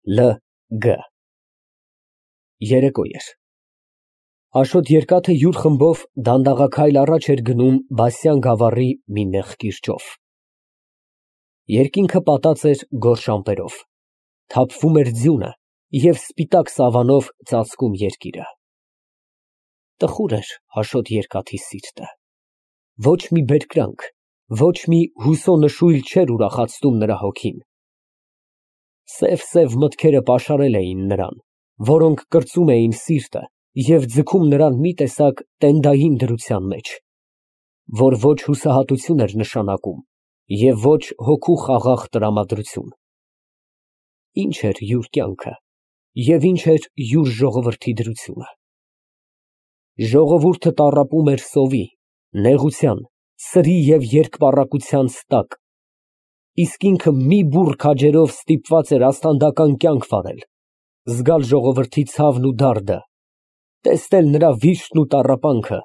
L. G. Երեկո էր։ Աշոտ Երկաթը յուր խմբով դանդաղաքայլ առաջ էր գնում Բասյան գավառի մի նեղ կիրճով։ Երկինքը պատած էր գորշ ամպերով, թափվում էր ձյունը և սպիտակ սավանով ծածկում երկիրը։ Տխուր էր Աշոտ Երկաթի սիրտը, ոչ մի բերկրանք, ոչ մի հուսո նշույլ չէր ուրախացնում նրա հոգին։ Սև մտքերը պաշարել էին նրան, որոնք կրծում էին սիրտը և ձգում նրան մի տեսակ տենդային դրության մեջ, որ ոչ հուսահատություն էր նշանակում և ոչ հոգու խաղաղ տրամադրություն։ Ինչ էր յուր կյանքը և ինչ էր յուր ժողովրդի դրությունը։ Ժողովուրդը տառապում էր սովի, նեղության, սրի և երկպառակտության տակ, իսկ ինքը մի բուռ քաջերով ստիպված էր աստանդական կյանք վարել, զգալ ժողովրդի ցավն ու դարդը, տեսնել նրա վիշտն ու տառապանքը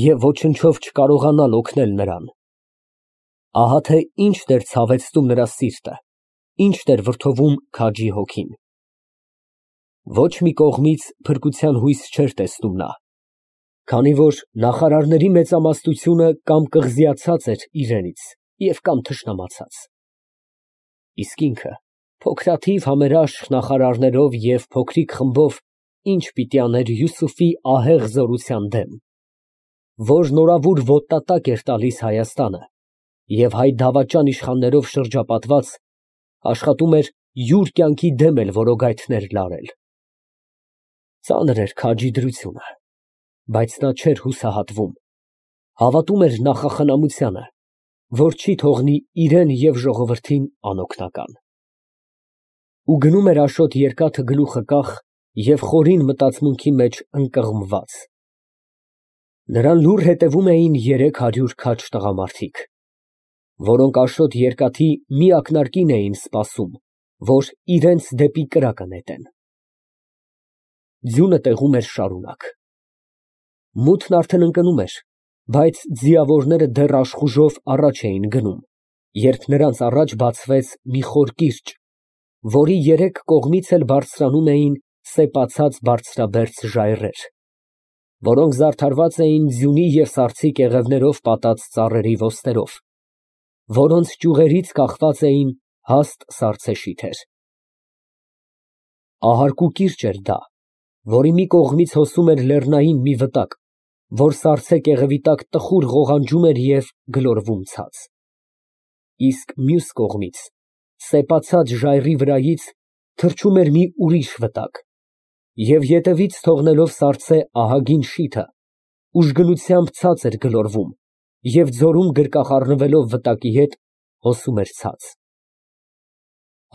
և ոչնչով չկարողանալ օգնել նրան։ Ահա թե ինչն էր ցավեցնում նրա սիրտը, ինչն էր վրդովում քաջի հոգին։ Ոչ մի կողմից փրկության հույս չէր տեսնում նա, քանի որ նախարարների մեծամասնությունը կամ կղզիացած էր իրենից և կամ թշնամացած։ Իսկ ինքը փոքրաթիվ համերաշխ նախարարներով և փոքրիկ խմբով ինչ պիտի աներ Յուսուֆի ահեղ զորության դեմ, որ նորավուր ոտնատակ էր տալիս Հայաստանը և հայ դավաճան իշխաններով շրջապատված, աշխատում էր յուր կյանքի դեմ էլ որոգայթներ լարել։ Ծանր էր քաջի դրությունը, բայց նա չէր հուսահատվում, հավատում էր նախախնամությանը, որ չի թողնի իրան և ժողովրդին անօգնական։ Ու գնում էր Աշոտ Երկաթը գլուխը կախ և խորին մտածմունքի մեջ ընկղմված։ Նրան լուռ հետևում էին 300 քաջ տղամարդիկ, որոնք Աշոտ Երկաթի մի ակնարկին էին սպասում, որ իրենց դեպի կրակը նետեն։ Ձյունը տեղում էր շարունակ։ Մութն արդեն ընկնում էր, բայց ձիավորները դեռ աշխուժով առաջ էին գնում, երբ նրանց առաջ բացվեց մի խոր կիրճ, որի երեք կողմից էլ բարձրանում էին սեպացած բարձրաբերձ ժայռեր, որոնք զարդարված էին ձյունի և սառցի կեղևներով պատած ծառերի ոստերով, որոնց ճյուղերից կախված էին հաստ սառցե շիթեր։ Ահարկու կիրճ էր դա, որի մի կողմից հոսում էր լեռնային մի վտակ, որ սառցե կեղևի տակ տխուր ղողանջում էր և գլորվում ցած, իսկ մյուս կողմից, սեպացած ժայռի վրայից, թռչում էր մի ուրիշ վտակ և ետևից թողնելով սառցե ահագին շիթը, ուժգնությամբ ցած էր գլորվում և ձորում գրկախառնվելով վտակի հետ, հոսում էր ցած։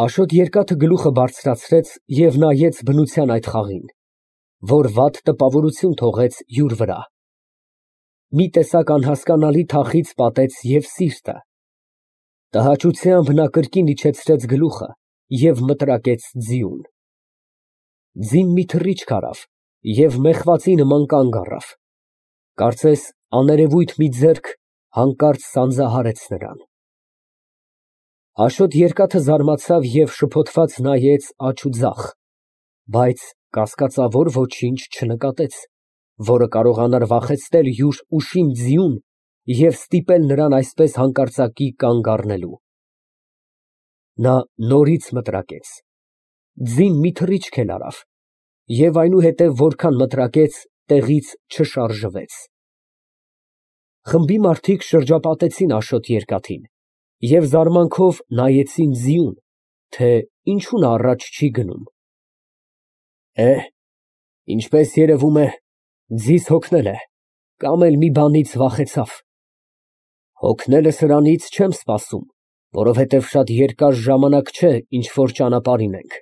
Աշոտ Երկաթը գլուխը բարձրացրեց և նայեց բնության այդ խաղին, որ վատ տպավորություն թողեց յուր վրա։ Մի տեսակ անհասկանալի թախիծ պատեց և սիրտը։ Տհաճությամբ նա կրկին իջեցրեց գլուխը և մտրակեց ձիուն։ Ձին մի թռիչք արավ և մեխվածի նման կանգ առավ, կարծես աներևույթ մի ձեռք հանկարծ սանձահարեց նրան։ Աշոտ Երկաթը զարմացավ և շփոթված նայեց աջ ու ձախ, բայց կասկածավոր ոչինչ չնկատեց, որը կարողանար վախեցնել յուր ուշիմ ձիուն և ստիպել նրան այսպես հանկարծակի կանգ առնելու։ Նա նորից մտրակեց, ձին մի թռիչք էլ արավ և այնուհետև որքան մտրակեց, տեղից չշարժվեց։ Խմբի մարդիկ շրջապատեցին Աշոտ Երկաթին և զարմանքով նայեցին ձիուն, թե ինչու նա առաջ չի գնում։ Ինչպես երևում է, ձիզ հոգնել է կամ էլ մի բանից վախեցավ։ Հոգնելը սրանից չեմ սպասում, որովհետև շատ երկար ժամանակ չէ, ինչ որ ճանապարհին ենք,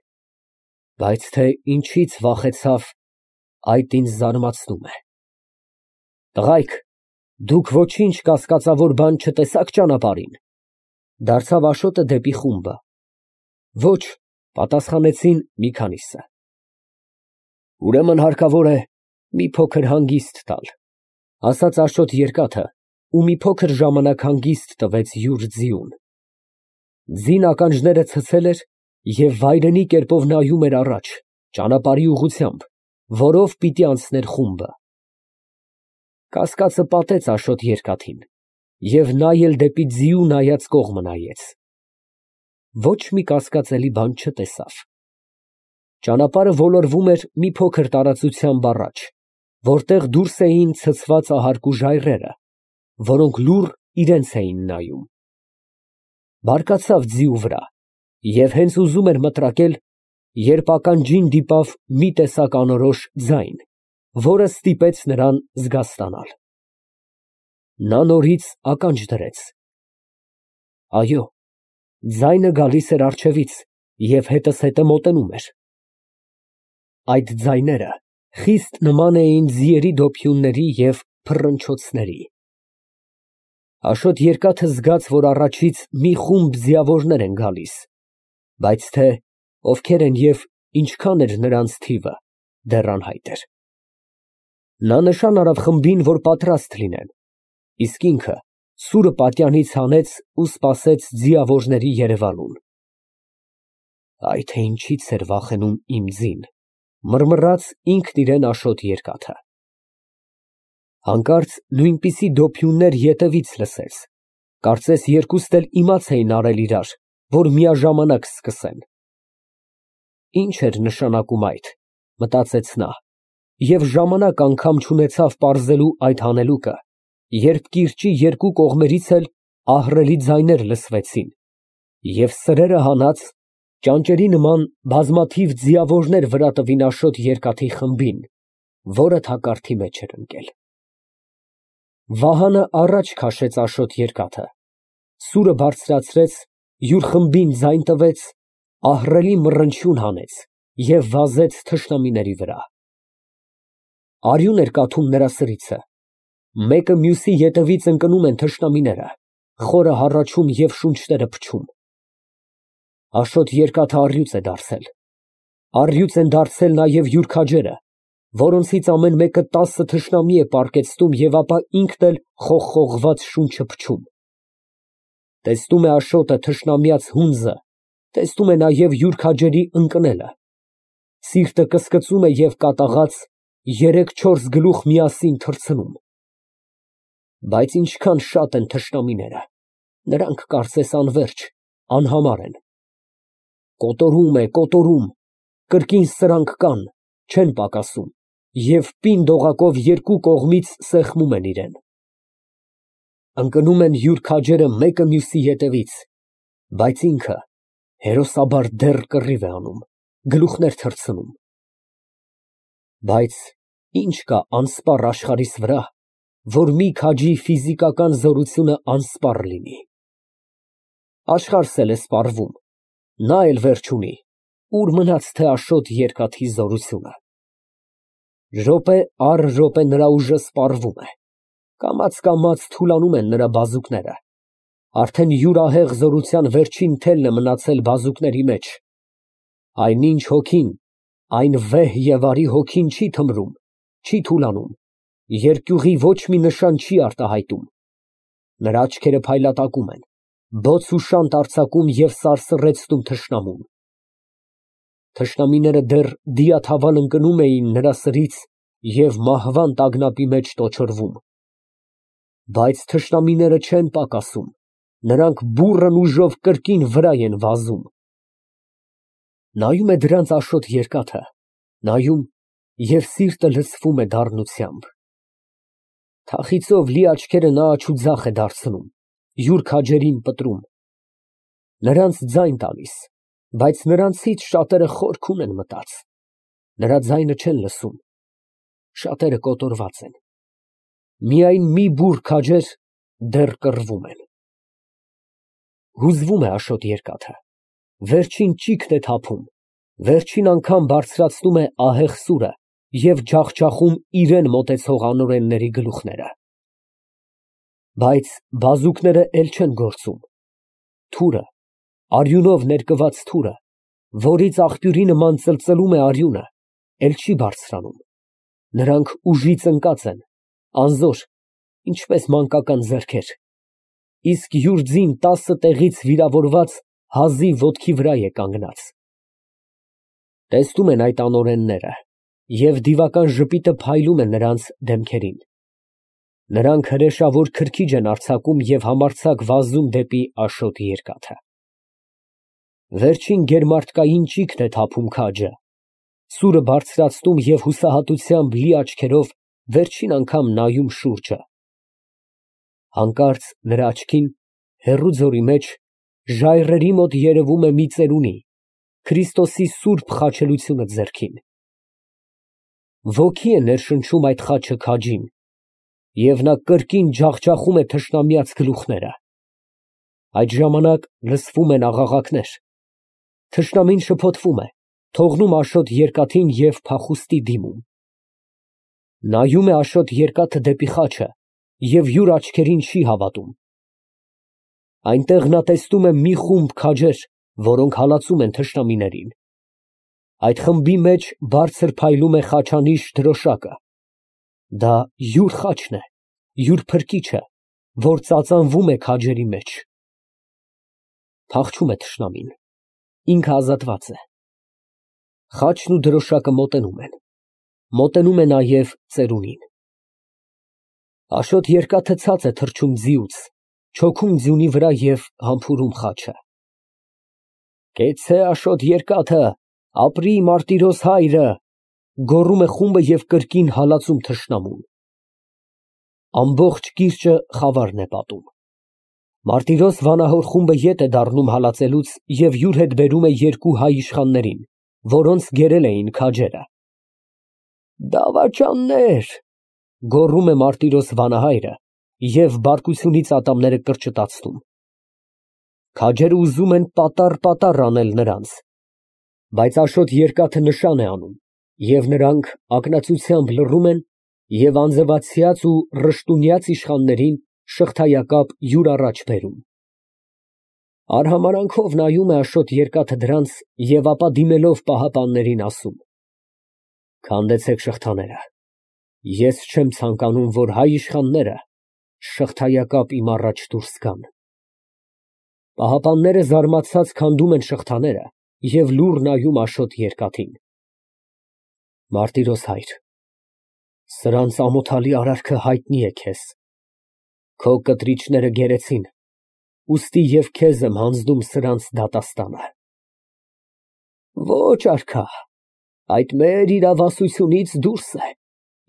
բայց թե ինչից վախեցավ, այդ ինձ զարմացնում է։ Տղայք, դուք ոչինչ կասկածավոր բան չտեսա՞ք ճանապարհին։ Դարձավ Աշոտը դեպի խումբը։ Ոչ, պատասխանեցին մի քանիսը։ Ուրեմն հարկավոր է մի փոքր հանգիստ տալ, ասաց Աշոտ Երկաթը ու մի փոքր ժամանակ հանգիստ տվեց յուր ձիուն։ Ձին ականջները ցցել էր և վայրենի կերպով նայում էր առաջ, ճանապարհի ուղղությամբ, որով պիտի անցներ խումբը։ Կասկածը պատեց Աշոտ երկաթին, և նա էլ դեպի ձիու նայած կողմը նայեց։ Ոչ մի կասկածելի բան չտեսավ։ Ճանապարհը ոլորվում էր մի փոքր տարածությամբ առաջ, որտեղ դուրս էին ցցված ահարկու ժայռերը, որոնք լուռ իրենց էին նայում։ Բարկացավ ձիու վրա և հենց ուզում էր մտրակել, երբ ականջին դիպավ մի տեսակ անորոշ ձայն, որը ստիպեց նրան զգաստանալ։ Նա նորից ականջ դրեց։ Այո, ձայնը գալիս էր առջևից և հետզհետե մոտենում էր։ Այդ ձայները խիստ նման էին ձիերի դոփյունների և փռնչոցների։ Աշոտ երկաթը զգաց, որ առաջից մի խումբ ձիավորներ են գալիս, բայց թե ովքեր են և ինչքան էր նրանց թիվը, դեռ անհայտ էր։ Նա նշան արավ խմբին, որ պատրաստ լինեն, իսկ ինքը սուրը պատյանից հանեց ու սպասեց ձիավորների երևալուն։ «Այ թե ինչից էր վախենում իմ ձին», մռմռաց ինքն իրեն Աշոտ երկաթը։ Հանկարծ նույնպիսի դոփյուններ ետևից լսեց, կարծես երկուստ էլ իմաց էին արել իրար, որ միաժամանակ սկսեն։ Ի՞նչ էր նշանակում այդ, մտածեց նա, և ժամանակ անգամ չունեցավ պարզելու այդ հանելուկը, երբ կիրճի երկու կողմերից էլ ահռելի ձայներ լսվեցին, և սրերը հանած, ճանճերի նման բազմաթիվ ձիավորներ վրա տվին Աշոտ երկաթի խմբին, որը թակարդի մեջ էր ընկել։ Վահանը առաջ քաշեց Աշոտ երկաթը, սուրը բարձրացրեց, յուր խմբին ձայն տվեց, ահռելի մռնչյուն հանեց և վազեց թշնամիների վրա։ Արյուն էր կաթում նրա սրիցը, մեկը մյուսի ետևից ընկնում են թշնամիները, խորը հառաչում և շունչները փչում։ Աշոտ երկաթը առյուծ է դարձել։ Առյուծ են դարձել նաև յուր քաջերը, որոնցից ամեն մեկը 10 թշնամի է պառկեցնում և ապա ինքն էլ խողխողված շունչը փչում։ Տեսնում է Աշոտը թշնամյաց հունձը, տեսնում է նաև յուր քաջերի ընկնելը։ Սիրտը կսկծում է և կատաղած 3-4 գլուխ միասին թռցնում։ Բայց ինչքան շատ են թշնամիները, նրանք կարծես անվերջ, անհամար են։ Կոտորում է, կոտորում, կրկին սրանք կան, չեն պակասում և պինդ օղակով երկու կողմից սեղմում են իրեն։ Ընկնում են յուր քաջերը մեկը մյուսի ետևից, բայց ինքը հերոսաբար դեռ կռիվ է անում, գլուխներ թռցնում։ Բայց ի՞նչ կա անսպառ աշխարհիս վրա, որ մի քաջի ֆիզիկական զորությունը անսպառ լինի։ Աշխարհս էլ է սպառվում, նա էլ վերջ ունի, ուր մնաց թե Աշոտ երկաթի զորությունը։ Րոպե առ րոպե նրա ուժը սպառվում է, կամաց թուլանում են նրա բազուկները, արդեն յուրահեղ զորության վերջին թելն է մնացել բազուկների մեջ։ Այնինչ հոգին, այն վեհ և արի հոգին չի թմրում, չի թուլանում, երկյուղի ոչ մի նշան չի արտահայտում։ Նրա աչքերը փայլատակում են, բոց ու շանթ արձակում և սարսռեցնում թշնամուն։ Թշնամիները դեռ դիաթավալ ընկնում էին նրա սրից և մահվան տագնապի մեջ տոչորվում։ Բայց թշնամիները չեն պակասում, նրանք բուռն ուժով կրկին վրա են վազում։ Նայում է դրանց Աշոտ երկաթը, նայում և սիրտը լցվում է դառնությամբ։ Թախիծով լի աչքերը նա աջ ու ձախ է դարձնում, յուր քաջերին պտրում, նրանց ձայն տալիս, բայց նրանցից շատերը խորքում են մտած, նրա ձայնը չեն լսում, շատերը կոտորված են, միայն մի բուռ քաջեր դեռ կռվում են։ Հուզվում է Աշոտ երկաթը, վերջին ճիգն է թափում, վերջին անգամ բարձրացնում է ահեղ սուրը և ջախջախում իրան մոտեցող անօրենների գլուխները։ Բայց բազուկները էլ չեն գործում։ Թուրը, արյունով ներկված թուրը, որից աղբյուրի նման ծլծլում է արյունը, էլ չի բարձրանում։ Նրանք ուժից ընկած են, անզոր, ինչպես մանկական ձեռքեր, իսկ յուր ձին 10 տեղից վիրավորված հազիվ ոտքի վրա է կանգնած։ Տեսնում են այդ անօրենները, և դիվական ժպիտը փայլում է նրանց դեմքերին։ Նրանք հրեշավոր քրքիջ են արձակում և համարձակ վազում դեպի Աշոտ երկաթը։ Վերջին գերմարտկային ճիգն է թափում քաջը, սուրը բարձրացնում և հուսահատությամբ լի աչքերով վերջին անգամ նայում շուրջը։ Հանկարծ նրա աչքին, հեռու ձորի մեջ, ժայռերի մոտ երևում է մի ծերունի, Քրիստոսի սուրբ խաչելությունը ձեռքին։ Ոգի է ներշնչում այդ խաչը քաջին, և նա կրկին ջախջախում է թշնամյաց գլուխները։ Այդ ժամանակ լսվում են աղաղակներ։ Թշնամին շփոթվում է, թողնում Աշոտ երկաթին և փախուստի դիմում։ Նայում է Աշոտ երկաթը դեպի խաչը և յուր աչքերին չի հավատում։ Այնտեղ նա տեսնում է մի խումբ քաջեր, որոնք հալածում են թշնամիներին։ Այդ խմբի մեջ բարձր փայլում է խաչանիշ դրոշակը։ Դա յուր խաչն է, յուր փրկիչը, որ ծածանվում է քաջերի մեջ։ Փախչում է թշնամին, ինքը ազատված է։ Խաչն ու դրոշակը մոտենում են։ Մոտենում է նաև ծերունին։ Աշոտ երկաթը ցած է թռչում ձիուց, չոքում ձյունի վրա և համբուրում խաչը։ Կեցցե Աշոտ երկաթը, ապրի Մարտիրոս հայրը, գոռում է խումբը և կրկին հալածում թշնամուն։ Ամբողջ կիրճը խավարն է պատում։ Մարտիրոս վանահոր խումբը ետ է դառնում հալածելուց և յուր հետ բերում է երկու հայ իշխաններին, որոնց գերել էին քաջերը։ Դավաճաննե՛ր, գոռում է Մարտիրոս վանահայրը և բարկությունից ատամները կրճտացնում։ Քաջերը ուզում են պատառ անել նրանց, բայց Աշոտ երկաթը նշան է անում, և նրանք ակնածությամբ լռում են և անձրևացյաց ու ռշտունյաց իշխաններին շղթայակապ յուր առաջ բերում։ Արհամարհանքով նայում է Աշոտ երկաթը դրանց և ապա դիմելով պահապաններին ասում. Քանդեցեք շղթաները, ես չեմ ցանկանում, որ հայ իշխանները շղթայակապ իմ առաջ դուրս գան։ Պահապանները զարմացած քանդում են շղթաները և լուռ նայում Աշոտ երկաթին։ Մարտիրոս հայր, սրանց ամոթալի արարքը հայտնի է քեզ։ Քո կտրիչները գերեցին, ուստի և քեզ եմ հանձնում սրանց դատաստանը։ Ոչ, արքա, այդ մեր իրավասությունից դուրս է,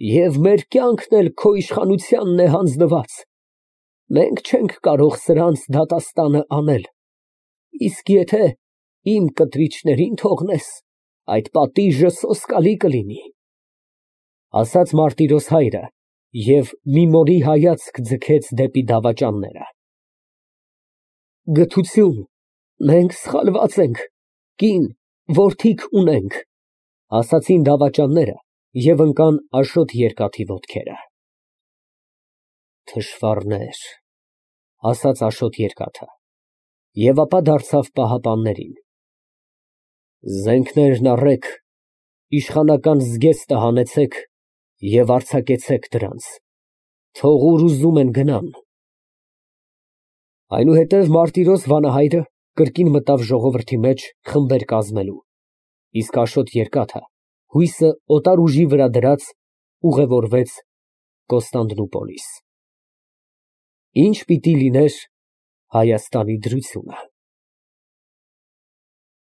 և մեր կյանքն էլ քո իշխանությանն է հանձնված։ Մենք չենք կարող սրանց դատաստանը անել, իսկ եթե իմ կտրիչներին թողնես, այդ պատիժը սոսկալի կլինի, ասաց Մարտիրոս հայրը և մի մորի հայացք ձգեց դեպի դավաճանները։ Գթություն, մենք սխալված ենք, կին, որդիք ունենք, ասացին դավաճանները և ընկան Աշոտ երկաթի ոտքերը։ Թշվառներ, ասաց Աշոտ երկաթը և ապա դարձավ պահապաններին. Զենքներն առեք, իշխանական զգեստը հանեցեք և արձակեցեք դրանց, թող ուր ուզում են գնան։ Այնուհետև Մարտիրոս վանահայրը կրկին մտավ ժողովրդի մեջ խմբեր կազմելու, իսկ Աշոտ երկաթը, հույսը օտար ուժի վրա դրած, ուղևորվեց Կոստանդնուպոլիս։ Ինչ պիտի լիներ Հայաստանի դրությունը։